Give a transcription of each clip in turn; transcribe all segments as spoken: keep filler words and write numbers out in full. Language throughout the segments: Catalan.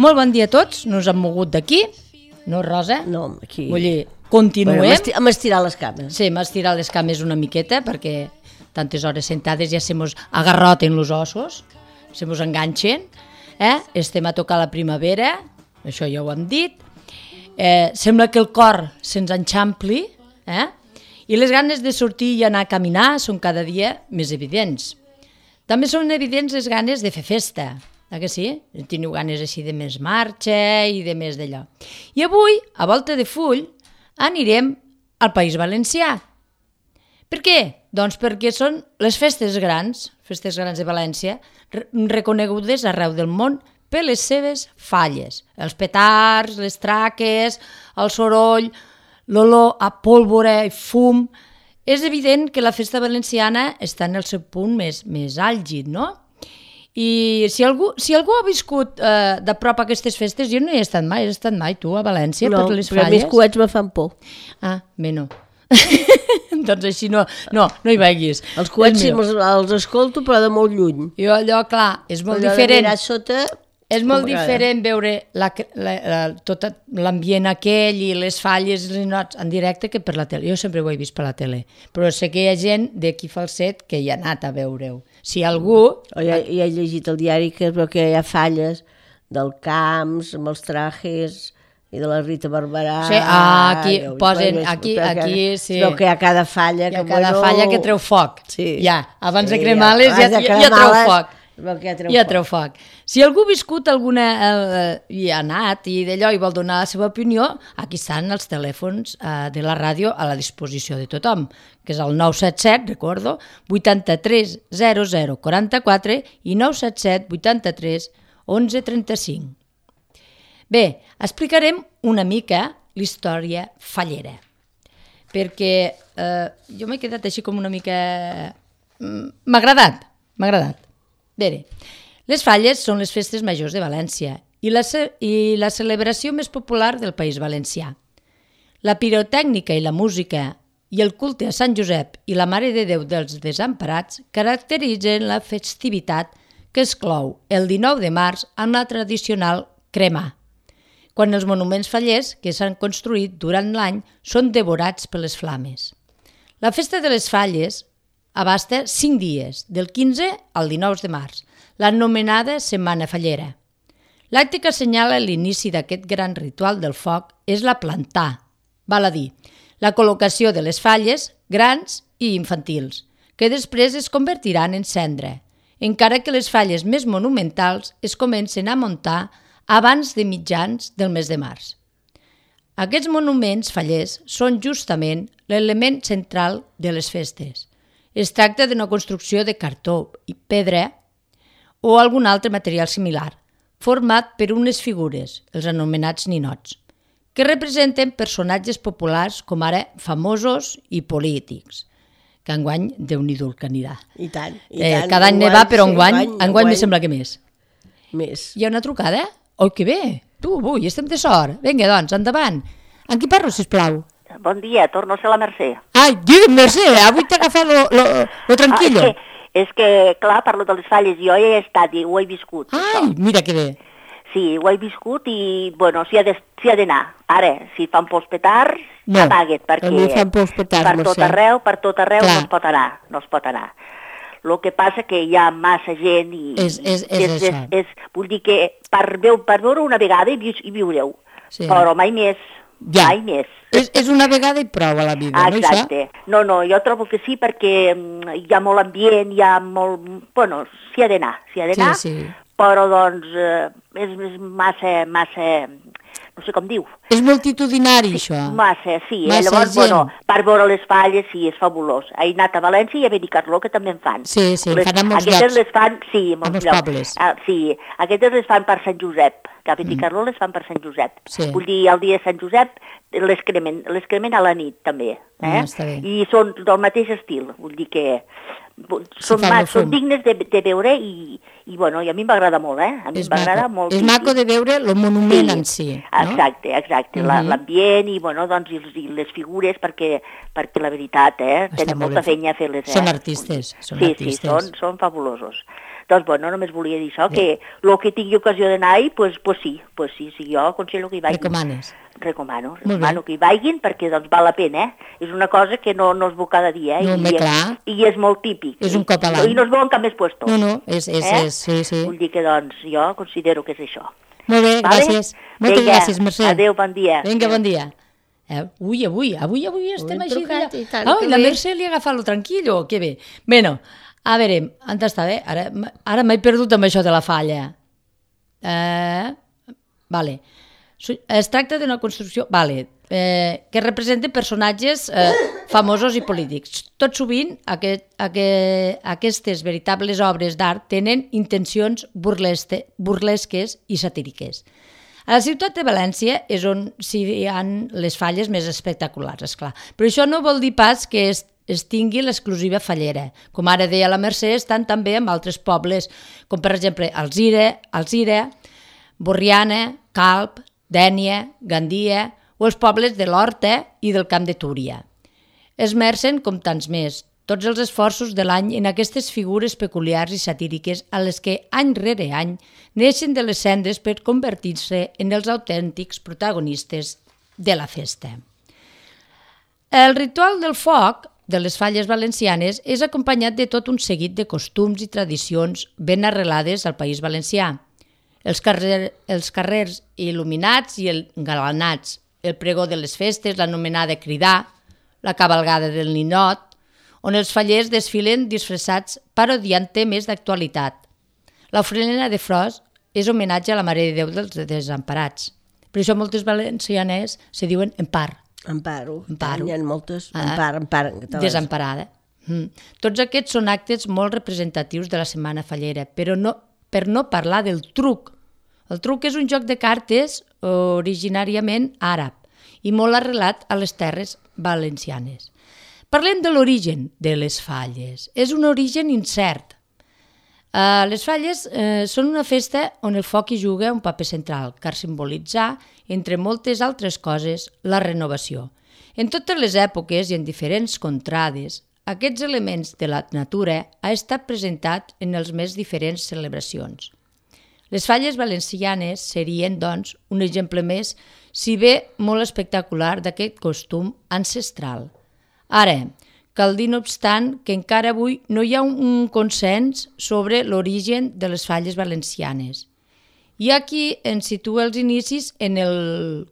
Molt bon dia a tots, no us hem mogut d'aquí, no, Rosa? No, aquí... Vull dir, continuem. Bueno, hem estirat les cames. Sí, hem estirat les cames una miqueta, perquè tantes hores sentades ja se mos agarroten els ossos, se mos enganxen, eh? Estem a tocar la primavera, això ja ho hem dit, eh, sembla que el cor se'ns enxampli, eh? I les ganes de sortir i anar a caminar són cada dia més evidents. També són evidents les ganes de fer festa, eh que sí? Teniu ganes així de més marxa i de més d'allò. I avui, a volta de full, anirem al País Valencià. Per què? Doncs perquè són les festes grans, festes grans de València, reconegudes arreu del món per les seves falles. Els petards, les traques, el soroll, l'olor a pólvora i fum. És evident que la festa valenciana està en el seu punt més, més àlgid, no? I si algú, si algú ha viscut eh, de prop aquestes festes, jo no hi he estat mai, has estat mai tu a València no, per les falles? No, però a mi els coets me fan por. Ah, bé, no. Doncs així no, no, no hi vagis. Els coets sí, els, els escolto, però de molt lluny. Jo allò, clar, és molt allò diferent. Sota, és molt diferent veure la, la, la, tot l'ambient aquell i les falles i les nots en directe que per la tele. Jo sempre ho he vist per la tele, però sé que hi ha gent d'aquí Falset que hi ha anat a veure-ho. Si algú... O ja, ja he llegit el diari que es veu que hi ha falles del Camps, amb els trajes i de la Rita Barberà. Sí, ah, aquí ja, posen, aquí, aquí, sí. Es veu que hi ha cada falla. Hi ha que, cada bueno, falla que treu foc. Sí. Ja, abans sí, de cremar-les ja, ja, ja, ja treu foc. Ja treu, ja treu foc. Si algú ha viscut alguna eh, i ha anat i d'allò i vol donar la seva opinió, aquí estan els telèfons eh, de la ràdio a la disposició de tothom, que és el nou set set, recordo, vuitanta-tres zero zero quaranta-quatre i nou set set vuitanta-tres onze trenta-cinc. Bé, explicarem una mica l'història fallera, perquè eh, jo m'he quedat així com una mica... M'ha agradat, m'ha agradat. Bé, les falles són les festes majors de València i la, i la celebració més popular del País Valencià. La pirotècnica i la música i el culte a Sant Josep i la Mare de Déu dels Desemparats caracteritzen la festivitat que es clou el dinou de març amb la tradicional cremar, quan els monuments fallers que s'han construït durant l'any són devorats per les flames. La festa de les falles abasta cinc dies, del quinze al dinou de març, l'anomenada Setmana Fallera. L'acte que assenyala l'inici d'aquest gran ritual del foc és la plantar, val a dir, la col·locació de les falles grans i infantils, que després es convertiran en cendra, encara que les falles més monumentals es comencen a muntar abans de mitjans del mes de març. Aquests monuments fallers són justament l'element central de les festes. Es tracta d'una construcció de cartó i pedra o algun altre material similar, format per unes figures, els anomenats ninots, que representen personatges populars com ara famosos i polítics, que enguany Déu-n'hi-do el que anirà. I tant, i eh, tant. Cada any ne va, però enguany, sí, enguany, enguany me sembla que més. Més. Hi ha una trucada? Oi, que bé! Tu, avui, estem de sort. Vinga, doncs, endavant. En qui parlo, sisplau? Bon dia, torno a ser la Mercè. Ai, digue'm, Mercè, avui t'ha agafat lo, lo, lo tranquillo. Ah, és, que, és que, clar, parlo de les falles, jo hi he estat i ho he viscut. Ai, això. Mira que bé. Sí, ho he viscut i, bueno, s'hi ha d'anar. Ara, si fan por els petards, no, apaga't, perquè no fan por els petards, per tot arreu, per tot arreu clar. no es pot anar, no es pot anar. El que passa que hi ha massa gent i... És, és, és, és això. És, és, vull dir que per, veu, per veure una vegada hi, hi viureu, sí. Però mai més. Ja. Mai més. És, és una vegada i prou a la vida, exacte. No, això? No, no, jo trobo que sí perquè hi ha molt ambient, hi ha molt... Bueno, s'hi ha d'anar, s'hi ha d'anar, sí, sí. Però doncs eh, és, és massa, massa... No sé com diu. És multitudinari, sí, això? Massa, sí. Massa eh? Llavors, gent. Bueno, per veure les falles, sí, és fabulós. He anat a València i a Benicarló, que també en fan. Sí, sí, les, fan a molts aquestes llocs. les fan, sí, a molts llocs. Pobles. Ah, sí, aquestes les fan per Sant Josep, que a Benicarló mm. les fan per Sant Josep. Sí. Vull dir, el dia de Sant Josep les cremen, les cremen a la nit, també. Eh? Ah, està bé. I són del mateix estil, vull dir que són, mas, són dignes de, de veure i, i, bueno, i a mi m'agrada molt, eh? A mi m'agrada molt. És maco de veure el monument sí, en si, no? Exacte, exacte, uh-huh. l'ambient i, bueno, doncs, i, i les figures, perquè, perquè la veritat, eh? Tenen molta feina a fer-les, eh? Són artistes, són sí, artistes. Sí, són, són fabulosos. Doncs, bueno, només volia dir això, que el que tingui ocasió d'anar-hi, doncs pues, sí, pues sí, sí, jo aconsello que hi vagin. Recomanes? Recomano, recomano que hi vagin perquè doncs val la pena, eh? És una cosa que no, no es veu cada dia, eh? No, I, clar. I és molt típic. És un cop a l'any. I no es veu en cap més puesto. No, no, és, és, eh? és, sí, sí. Vull dir que, doncs, jo considero que és això. Molt bé, vale? gràcies. Moltes Vinga, gràcies, Mercè. Adéu, bon dia. Vinga, bon dia. Eh, ui, avui, avui, avui estem Avui així. trucat, i tant, Ah, que la bé. Mercè li ha agafat lo tranquil·lo, que bé. Bueno, a veure, on està bé? Ara, ara m'he perdut amb això de la falla. Eh, vale. Es tracta d'una construcció... Vale. Eh, que representa personatges eh, famosos i polítics. Tot sovint aquest, aquest, aquestes veritables obres d'art tenen intencions burleste, burlesques i satíriques. A la ciutat de València és on s'hi ha les falles més espectaculars, esclar. Però això no vol dir pas que es, es tingui l'exclusiva fallera. Com ara deia la Mercè, estan també en altres pobles, com per exemple Alzira, Alzira, Borriana, Calp, Dénia, Gandia, o els pobles de l'Horta i del Camp de Túria. Esmercen, com tants més, tots els esforços de l'any en aquestes figures peculiars i satíriques a les que, any rere any, neixen de les cendres per convertir-se en els autèntics protagonistes de la festa. El ritual del foc de les falles valencianes és acompanyat de tot un seguit de costums i tradicions ben arrelades al País Valencià. Els, carrer, els carrers il·luminats i engalanats, el pregó de les festes, l'anomenada cridar, la cabalgada del ninot, on els fallers desfilen disfressats parodiant temes d'actualitat. L'ofrena de flors és homenatge a la Mare de Déu dels Desemparats. Per això moltes valencianes se diuen Empar. Amparo. Amparo. Hi ha moltes. Ah. Ampar, Ampar, en català. Desemparada. Mm. Tots aquests són actes molt representatius de la Setmana Fallera, però no, per no parlar del truc. El truc és un joc de cartes originàriament àrab i molt arrelat a les terres valencianes. Parlem de l'origen de les falles. És un origen incert. Uh, les falles uh, són una festa on el foc hi juga un paper central, car simbolitzar, entre moltes altres coses, la renovació. En totes les èpoques i en diferents contrades, aquests elements de la natura ha estat presentat en les més diferents celebracions. Les falles valencianes serien, doncs, un exemple més, si bé molt espectacular, d'aquest costum ancestral. Ara, cal dir no obstant que encara avui no hi ha un consens sobre l'origen de les falles valencianes. Hi ha qui ens situa els inicis en el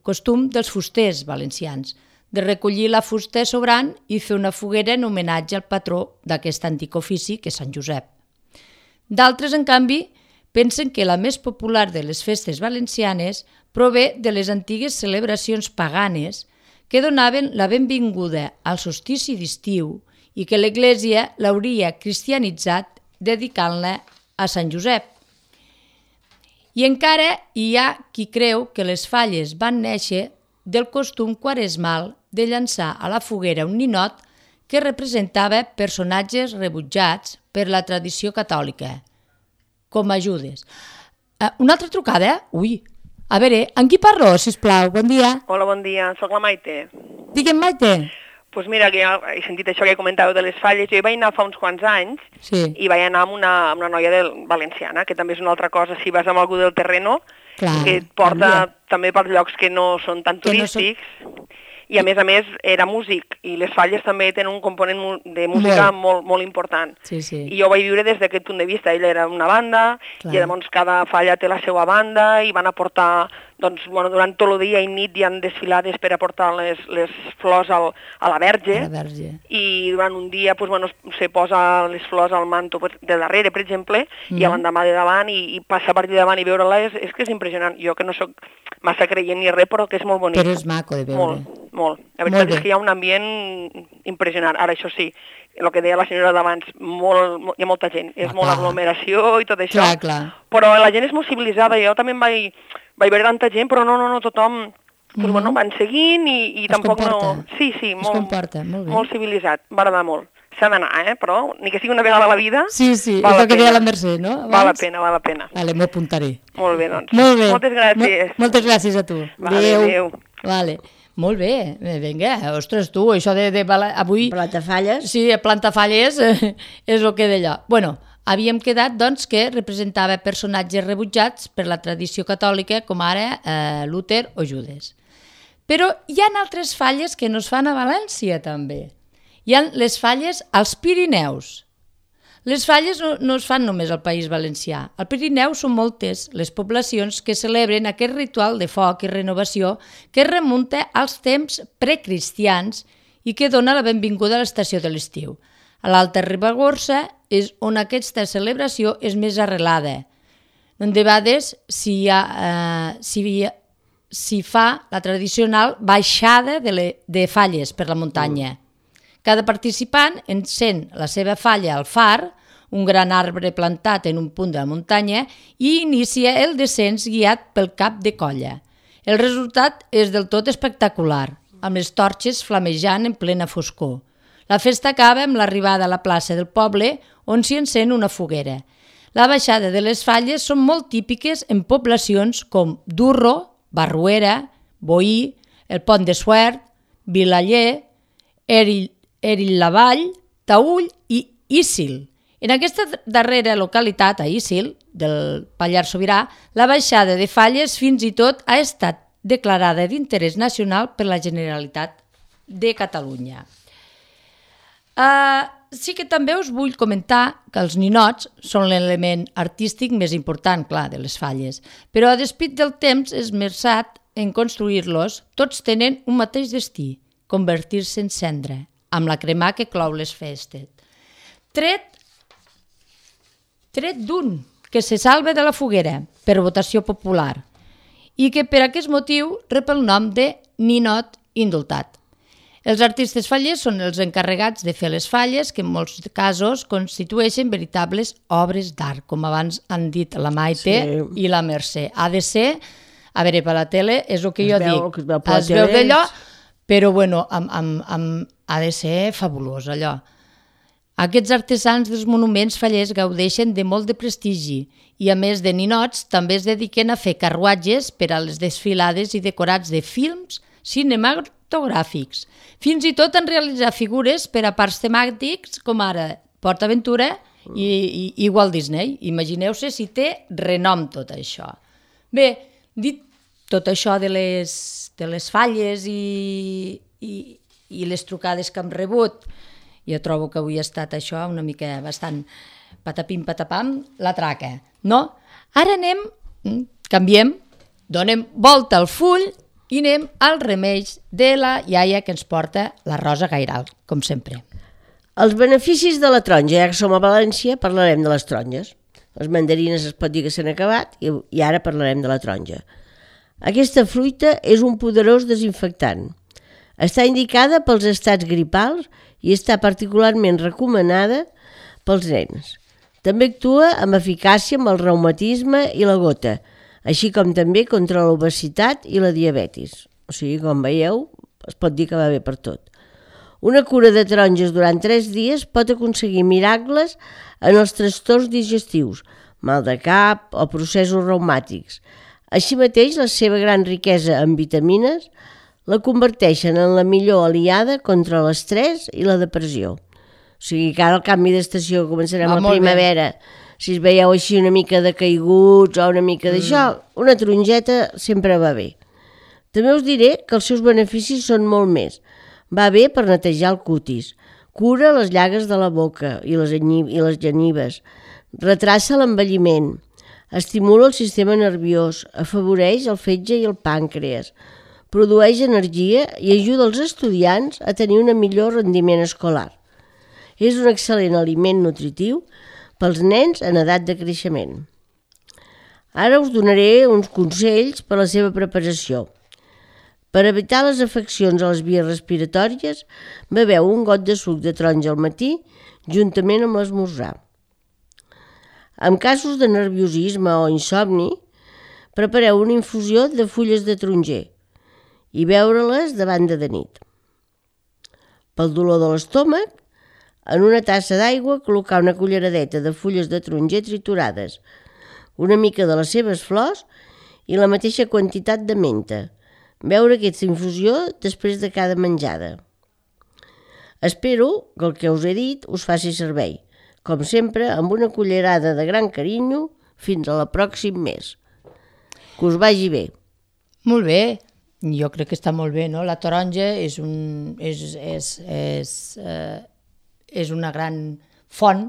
costum dels fusters valencians, de recollir la fusta sobrant i fer una foguera en homenatge al patró d'aquest antic ofici, que és Sant Josep. D'altres, en canvi, pensen que la més popular de les festes valencianes prové de les antigues celebracions paganes que donaven la benvinguda al solstici d'estiu i que l'Església l'hauria cristianitzat dedicant-la a Sant Josep. I encara hi ha qui creu que les falles van néixer del costum quaresmal de llançar a la foguera un ninot que representava personatges rebutjats per la tradició catòlica, com a Judes. Uh, una altra trucada? Ui, a veure, amb qui parlo, sisplau? Bon dia. Hola, bon dia, soc la Maite. Digue'm, Maite. Doncs pues mira, que ja he sentit això que comentàveu de les falles. Jo hi vaig anar fa uns quants anys sí. i vaig anar amb una, amb una noia del, valenciana, que també és una altra cosa, si vas amb algú del terreno, Clar, que et porta canvia. també per llocs que no són tan turístics. No són... I a més a més era músic, i les falles també tenen un component de música molt, molt, molt important. Sí, sí. I jo ho vaig viure des d'aquest punt de vista. Ella era una banda, Clar. I llavors cada falla té la seva banda, i van aportar, doncs, bueno, durant tot el dia i nit hi han desfilades per aportar les, les flors al, a la Verge, a la Verge. I durant un dia pues, bueno, se posa les flors al manto pues, de darrere, per exemple, mm. i a l'endemà de davant, i, i passar per davant i veure-la és, és que és impressionant. Jo que no sóc massa creient ni res, però que és molt bonic. Però és maco de veure. Molt, molt. La veritat és que hi ha un ambient impressionant. Ara, això sí, el que deia la senyora d'abans, molt, molt, hi ha molta gent, és ah, molt clar. Aglomeració i tot això, clar, clar. Però la gent és molt civilitzada. Jo també em vaig, vaig veure tanta gent, però no, no, no, tothom pues, mm-hmm. bueno, van seguint i, i tampoc comporta. no... Sí, sí, molt, comporta, molt, bé. Molt civilitzat, m'agrada molt. S'ha d'anar, eh? Però ni que sigui una vegada a la vida... Sí, sí, és el que deia la Mercè, no? Abans? Val la pena, val la pena. Vale, m'ho apuntaré. Molt bé, doncs. Molt bé. Moltes gràcies. Mo moltes gràcies a tu. Vale, adéu. adéu. Vale. Molt bé, vinga, ostres, tu, això de... de avui... Plantafalles. Sí, plantafalles eh, és el que d'allò. Bueno, havíem quedat doncs, que representava personatges rebutjats per la tradició catòlica, com ara eh, Luther o Judes. Però hi ha altres falles que no es fan a València, també. Hi ha les falles als Pirineus. Les falles no, no es fan només al País Valencià. Al Pirineu són moltes les poblacions que celebren aquest ritual de foc i renovació que remunta als temps precristians i que dona la benvinguda a l'estació de l'estiu. A l'Alta Ribagorça és on aquesta celebració és més arrelada. De vegades s'hi eh, si, si fa la tradicional baixada de, le, de falles per la muntanya. Cada participant encén la seva falla al far, un gran arbre plantat en un punt de la muntanya, i inicia el descens guiat pel cap de colla. El resultat és del tot espectacular, amb les torxes flamejant en plena foscor. La festa acaba amb l'arribada a la plaça del poble, on s'hi encén una foguera. La baixada de les falles són molt típiques en poblacions com Durro, Barruera, Boí, el Pont de Suert, Vilaller, Erill, Erill-la-Vall, Taüll i Íssil. En aquesta darrera localitat, a Íssil, del Pallars Sobirà, la baixada de falles fins i tot ha estat declarada d'interès nacional per la Generalitat de Catalunya. Uh, sí que també us vull comentar que els ninots són l'element artístic més important, clar, de les falles, però a despit del temps esmerçat en construir-los, tots tenen un mateix destí, convertir-se en cendra, amb la cremà que clou les festes. Tret, tret d'un que se salva de la foguera per votació popular i que per aquest motiu rep el nom de ninot indultat. Els artistes fallers són els encarregats de fer les falles, que en molts casos constitueixen veritables obres d'art, com abans han dit la Maite sí. i la Mercè. Ha de ser, a veure, per la tele és el que es jo veu, dic, que es, es veu d'allò, però bueno, amb, amb, amb, ha de ser fabulós allò. Aquests artesans dels monuments fallers gaudeixen de molt de prestigi i a més de ninots també es dediquen a fer carruatges per a les desfilades i decorats de films cinematogràfics. Fins i tot han realitzat figures per a parcs temàtics com ara Port Aventura i, i, i Walt Disney. Imagineu-se si té renom tot això. Bé, dit tot això de les, de les falles i, i, i les trucades que hem rebut, jo trobo que avui ha estat això una mica bastant patapim patapam, la traca, no? Ara anem, canviem, donem volta al full i anem al remeis de la iaia que ens porta la Rosa Gairal, com sempre. Els beneficis de la taronja, ja que som a València, parlarem de les taronges. Les mandarines es pot dir que s'han acabat i, i ara parlarem de la taronja. Aquesta fruita és un poderós desinfectant. Està indicada pels estats gripals i està particularment recomanada pels nens. També actua amb eficàcia amb el reumatisme i la gota, així com també contra l'obesitat i la diabetis. O sigui, com veieu, es pot dir que va bé per tot. Una cura de taronges durant tres dies pot aconseguir miracles en els trastorns digestius, mal de cap o processos reumàtics. Així mateix, la seva gran riquesa en vitamines la converteixen en la millor aliada contra l'estrès i la depressió. O sigui que ara el canvi d'estació començarem a la primavera. Bé. Si es veieu així una mica de caiguts o una mica d'això, mm. una tarongeta sempre va bé. També us diré que els seus beneficis són molt més. Va bé per netejar el cutis, cura les llagues de la boca i les, i les genives, retrassa l'envelliment, estimula el sistema nerviós, afavoreix el fetge i el pàncreas, produeix energia i ajuda els estudiants a tenir un millor rendiment escolar. És un excel·lent aliment nutritiu pels nens en edat de creixement. Ara us donaré uns consells per a la seva preparació. Per evitar les afeccions a les vies respiratòries, beveu un got de suc de taronja al matí juntament amb l'esmorzar. En casos de nerviosisme o insomni, prepareu una infusió de fulles de taronger i beure-les de banda de nit. Pel dolor de l'estómac, en una tassa d'aigua col·locar una culleradeta de fulles de taronger triturades, una mica de les seves flors i la mateixa quantitat de menta. Beure aquesta infusió després de cada menjada. Espero que el que us he dit us faci servei. com sempre, amb una cullerada de gran carinyo, fins a la pròxim mes. Que us vagi bé. Molt bé, jo crec que està molt bé, no? La taronja és, un, és, és, és, eh, és una gran font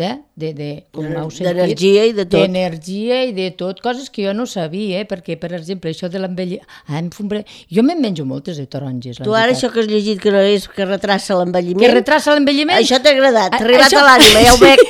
de, de, de, d'energia i de tot. D'energia i de tot, coses que jo no sabia, eh? Perquè, per exemple, això de l'envelliment... Ah, fumbre... Jo me'n menjo moltes de taronges. Tu ara això que has llegit que no és que retrassa l'envelliment... Que retrassa l'envelliment? Això t'ha agradat, t'ha arribat això... a l'ànima, ja ho veig.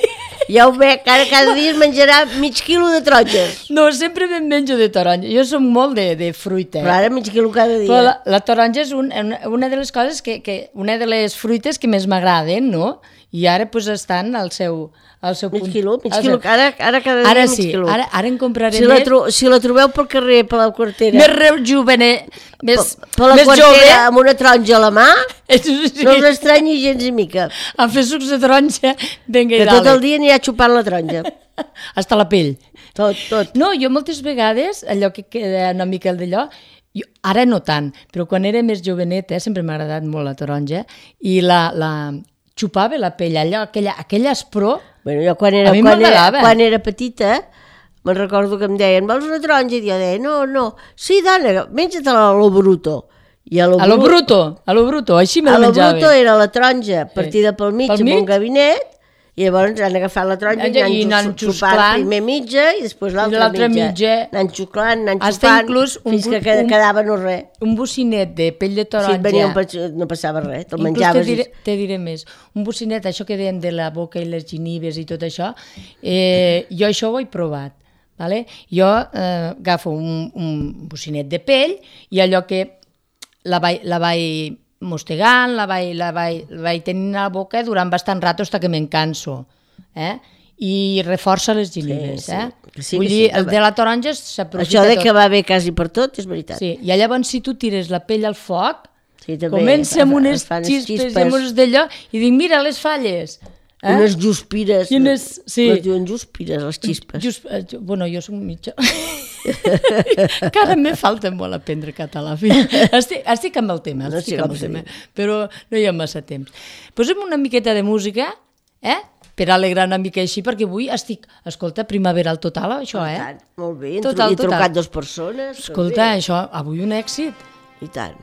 Ja ho veig, ara cada dia es menjarà mig quilo de taronges. No, sempre me'n menjo de taronja. Jo som molt de, de fruita. Però ara mig quilo cada dia. Però la, la taronja és un, una de les coses que, que... Una de les fruites que més m'agraden, no? I ara pues, estan al seu, al seu mig punt. Quilo, mig quilo, ara, ara cada dia ara mig sí, quilo. Ara, ara en compraré si la, tro més. Si la trobeu pel carrer, per la quartera... Més rejuvener, més, per, per la més quartera, jove. Amb una taronja a la mà, sí. No us estranyi gens i mica. A fer sucs de taronja, vinga i que dale. Tot el dia anirà xupant la taronja. Hasta la pell. Tot, tot. No, jo moltes vegades, allò que queda una mica d'allò, jo, ara no tant, però quan era més joveneta, eh, sempre m'ha agradat molt la taronja, i la, la xupava la pell, allò, aquella, aquella espró, bueno, jo quan era, quan era, quan era petita, me'n recordo que em deien, vols una taronja? I jo deia, no, no, sí, dona, menja-te-la a lo bruto. I a lo, a lo bruto, a lo bruto, així me la menjava. A lo bruto era la taronja partida pel mig pel amb mig? un gabinet, i llavors han agafat la taronja i han xupant primer mitja i després l'altra mitja. mitja. Anant xuclant, anant xupant, un, fins que un, quedava no res. Un bocinet de pell de taronja. Si et venia un, no passava res, te'l menjaves. Te diré, te diré més. Un bocinet, això que dèiem de la boca i les ginives i tot això, eh, jo això ho he provat. Vale? Jo eh, agafo un, un bocinet de pell i allò que la vaig... La vaig mostegant, la vaig, la, vaig, la vaig tenint a la boca durant bastant rato fins que me'n canso. Eh? I reforça les ginives. Sí, sí. Eh? Sí, Vull dir, sí, el de la taronja s'aprofita tot. Això de que va bé quasi per tot és veritat. Sí, i llavors si tu tires la pell al foc, sí, també, comença amb unes xispes i amb unes d'allò, i dic, mira les falles. Eh? Unes juspires. Unes, sí. Les diuen juspires, les xispes. Just, bueno, jo soc mitja. Encara me falta molt aprendre català. Estic, estic amb el tema, estic no, sí, amb el tema, però no hi ha massa temps. Posem una miqueta de música, eh? Per alegrar una mica així, perquè avui estic, escolta, primaveral total, això, eh? Tant, molt bé, total, he trucat dues persones. Escolta, això, avui un èxit. I tant.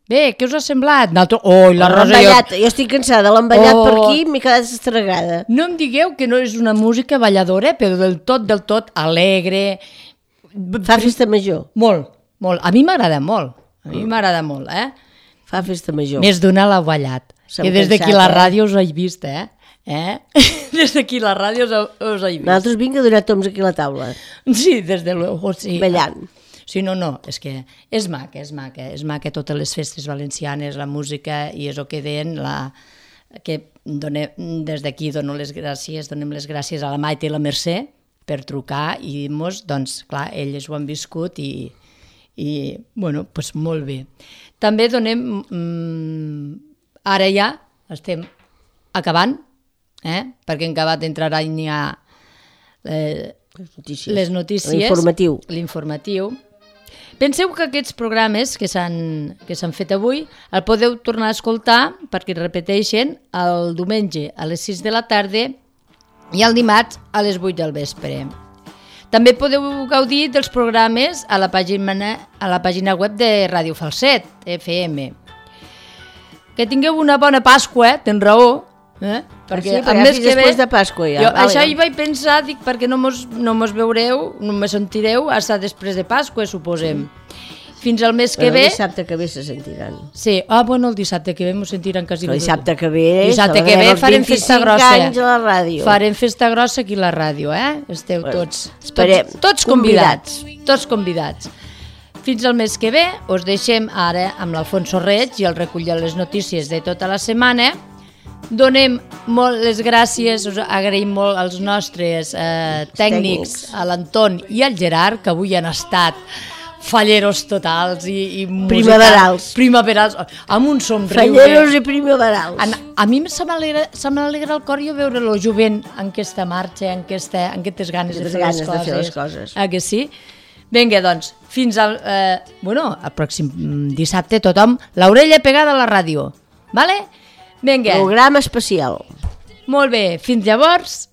Bé, què us ha semblat? Nosaltres... Oh, la Rosa... Jo... jo estic cansada, l'emballat oh. per aquí m'he quedat estragada. No em digueu que no és una música balladora, però del tot, del tot alegre, Fa festa major. Molt, molt. A mi m'agrada molt. A mi m'agrada molt, eh? Fa festa major. Més d'una l'ha ballat. Que des d'aquí la ràdio us ho he vist, eh? eh? Des d'aquí la ràdio us ho he vist. Nosaltres vinc a donar toms aquí a la taula. Sí, des de luego, sí. Ballant. Sí, no, no, és que és maca, és maca. És maca totes les festes valencianes, la música, i és el que deien, la... que donem, des d'aquí dono les gràcies, donem les gràcies a la Maite i la Mercè per trucar i dir-nos, doncs, clar, elles ho han viscut i, i bueno, doncs molt bé. També donem, mmm, ara ja estem acabant, eh? perquè en acabat entrarà n'hi ha eh, les notícies, les notícies l'informatiu. l'informatiu. Penseu que aquests programes que s'han que s'han fet avui el podeu tornar a escoltar perquè repeteixen el diumenge a les sis de la tarda i el dimarts a les vuit del vespre. També podeu gaudir dels programes a la pàgina, a la pàgina web de Ràdio Falset, F M. Que tingueu una bona Pasqua, eh? Tens raó, eh? perquè sí, el mes que ve... de Pasqua ja. Jo, vale. Això hi vaig pensar, dic, perquè no mos, no mos veureu, no me sentireu, hasta després de Pasqua, suposem. Fins al mes que bueno, ve... El dissabte que ve se sentiran. Sí, ah, bueno, el dissabte que ve mos sentiran quasi... El dissabte que ve... Dissabte que ve farem festa grossa. anys a la ràdio. Farem festa grossa aquí a la ràdio, eh? Esteu bueno, tots, esperem, tots, tots convidats. convidats. Tots convidats. Fins al mes que ve us deixem ara amb l'Alfonso Reig i el recull de les notícies de tota la setmana. Donem molt les gràcies, us agraïm molt als nostres eh, tècnics, tècnics, a l'Anton i al Gerard, que avui han estat falleros totals i, i primaverals. Primaverals, amb un somriure. Falleros i primaverals. A, a mi se m'alegra el cor jo veure-lo jovent en aquesta marxa, en, aquesta, en aquestes ganes, de fer, ganes les de fer les coses. Ah, que sí? Vinga, doncs, fins al, eh, bueno, al pròxim dissabte tothom l'orella pegada a la ràdio, vale? Vinga. Programa especial. Molt bé, fins llavors,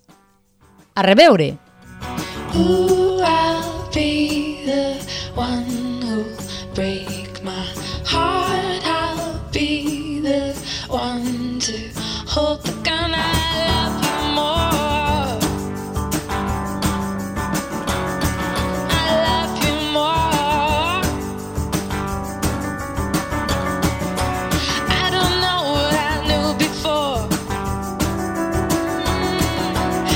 a reveure. Ooh, I'll be the one who'll break my heart. I'll be the one to hold the gun. I love you more. I love you more. I don't know what I knew before,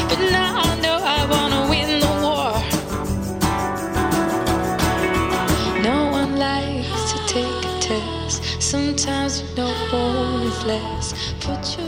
but now I know I wanna win the war. No one likes to take a test. Sometimes you know more is less. Put your